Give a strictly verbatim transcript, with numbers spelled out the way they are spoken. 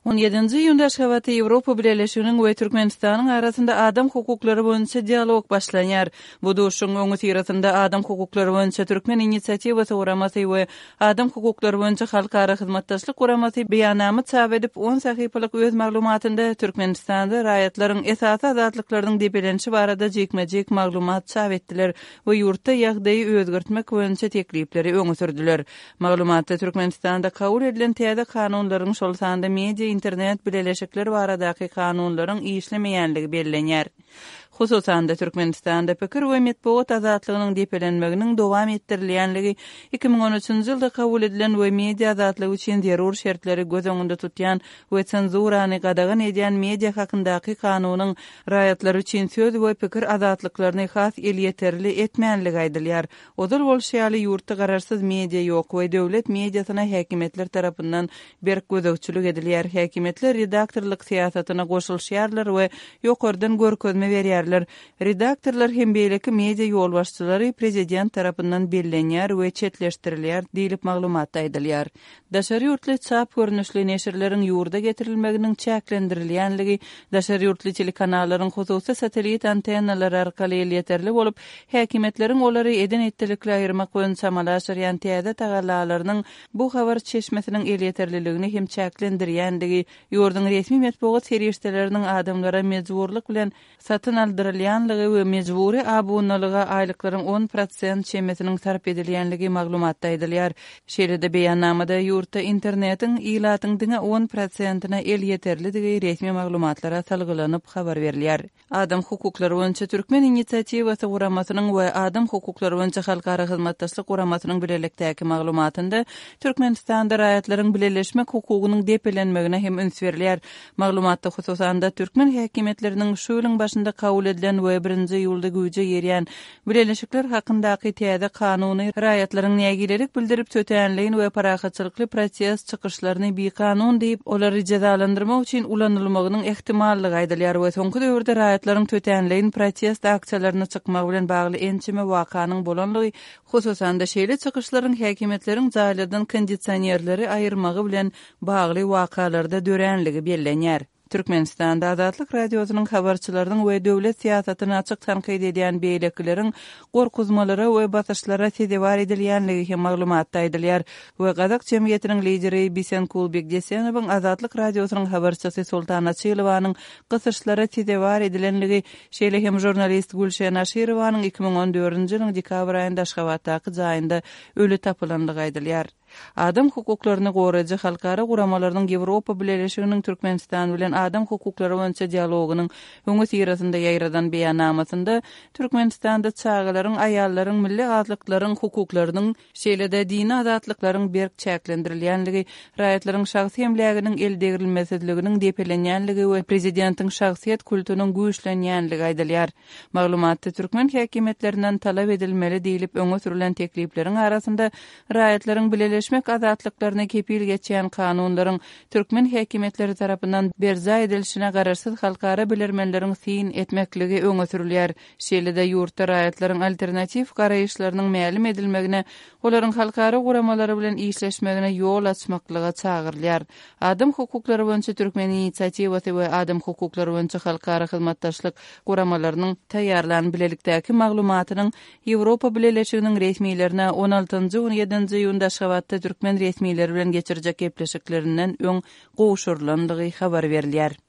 On ýedinji iýunda Aşgabatda Ýewropa Bileleşiginiň we Türkmenistanyň arasynda adam hukuklary boýunça dialog başlanýar. Bu duşuşygyň öňüsyrasynda Adam hukuklary boýunça Türkmen inisiatiwasy guramasy we Adam hukuklary boýunça Halkara hyzmatdaşlyk guramasy beýannama çap edip, on sahypalyk öz maglumatynda Türkmenistanda raýatlaryň esasy azatlyklarynyň depelenişi barada jikme-jik maglumat çap etdiler we ýurtda ýagdaýy özgertmek boýunça teklipleri öňe sürdüler. Maglumatda Türkmenistanda kabul edilen täze kanunlaryň, şol sanda media, internet bileleşikler baradaky kanunlaryň işlemeýänligi bellenýär. Hususan-da, Türkmenistanda pikir we metbugat azatlygynyň depelenmeginiň dowam etdirilýänligi, iki müň on üçünji ýylda kabul edilen we media azatlygy üçin zerur şertleri göz öňünde tutýan we senzurany gadagan edýän media hakyndaky kanunyň raýatlar üçin söz we pikir azatlyklaryny has elýeterli etmänligi aýdylýar. Ozal bolşy ýaly, ýurtda garaşsyz media ýok we döwlet mediasyna häkimiýetler tarapyndan berk gözegçilik edilýär. Häkimiýetler redaktorlyk syýasatyna goşulyşýarlar we ýokardan görkezme berýärler. Redaktorlar hem beýleki media ýolbaşçylary prezident tarapyndan bellenýär we çetleşdirilýär diýlip maglumatda aýdylýar. Daşary ýurtly çap görnüşli neşirleriň ýurda getirilmeginiň çäklendirilýänligi, daşary ýurtly telekanallaryň hususy satellit antennalary arkaly elýeterli bolup, häkimiýetleriň olary eden-etdilikli aýyrmak boýunça amala aşyrýan täze tagallalarynyň bu habar çeşmesiniň elýeterliligini hem çäklendirýändigi, ýurduň resmi metbugat serişdeleriniň adamlara mejburlyk bilen satyn aldyrylýanlygy we mejbury abunalyga aýlyklaryň on prosent çemesiniň sarp edilýänligi maglumatda aýdylýar. Şeýle-de beýannamada ýurtda internetiň ilatyň diňe on prosentine elýeterlidigi resmi maglumatlara salgylanyp habar berilýär. Adam hukuklary boýunça Türkmen inisiatiwasy guramasynyň we Adam hukuklary boýunça Halkara hyzmatdaşlyk guramasynyň bilelikdäki maglumatynda Türkmenistanda raýatlaryň bileleşmek hukugynyň depelenmegine hem üns berilýär. Maglumatda hususan-da türkmen häkimiýetleriniň şu ýylyň başynda kabul edilen we birinji iýulda güýje girýän bileleşikler hakyndaky täze kanuny raýatlaryň nägilelik bildirip tötänleýin we parahatçylykly protest çykyşlaryny bikanun diýip, olary jezalandyrmak üçin ulanylmagynyň ähtimallygy aýdylýar we soňky döwürde raýatlaryň tötänleýin protest aksiýalaryna çykmagy bilen bagly ençeme wakanyň bolanlygy, hususan-da şeýle çykyşlaryň häkimiýetleriň jaýlardan kondisionerleri aýyrmagy bilen bagly wakalarda döränligi bellenýär. Türkmenistanda Azatlyk Radiosynyň habarçylarynyň we döwlet syýasatyny açyk tankyt edýän beýlekileriň gorkuzmalara we basyşlara sezewar edilýänligi hem maglumatda aýdylýar we gazak jemgyýetiniň lideri Bisenkul Bekdesenowyň Azatlyk Radiosynyň habarçysy Sultan Açylowanyň gysyşlara sezewar edilenligi, şeýle hem žurnalist Gülşen Aşyrowanyň iki müň on dördünji ýylyň dekabr aýynda Aşgabatdaky jaýynda öli tapylandygy aýdylýar. Adam hukuklaryny goraýjy halkara guramalarynyň Ýewropa Bileleşiginiň Türkmenistan bilen adam hukuklary boýunça dialogynyň öňüsyrasynda ýaýradan beýannamasynda Türkmenistanda çagalaryň, aýallaryň, milli azlyklaryň hukuklarynyň, şeýle-de dini azatlyklaryň berk çäklendirilýänligi, raýatlaryň şahsy emläginiň eldegrilmesizliginiň depelenýänligi we prezidentiň şahsyýet kultunyň güýçlenýänligi aýdylýar. Maglumatda türkmen häkimiýetlerinden talap edilmeli diýlip öňe sürülen teklipleriň arasynda raýatlaryň bileleşmek azatlyklaryna kepil geçýän kanunlaryň türkmen häkimiýetleri tarapyndan berjaý edilişine garaşsyz halkara bilermenleriň syn etmekligi öňe sürülýär. Şeýle-de ýurtda raýatlaryň alternatiw garaýyşlarynyň mälim edilmegine, olaryň halkara guramalary bilen işleşmegine ýol açmaklyga çagyrylýar. Adam hukuklary boýunça Türkmen inisiatiwasy we Adam hukuklary boýunça Halkara hyzmatdaşlyk guramalarynyň taýýarlan bilelikdäki maglumatynyň Ýewropa Bileleşiginiň resmilerine on altynjy on ýedinji iýunda Aşgabatda türkmen resmileri bilen geçirjek gepleşiklerinden öň gowşurylandygy habar berilýär.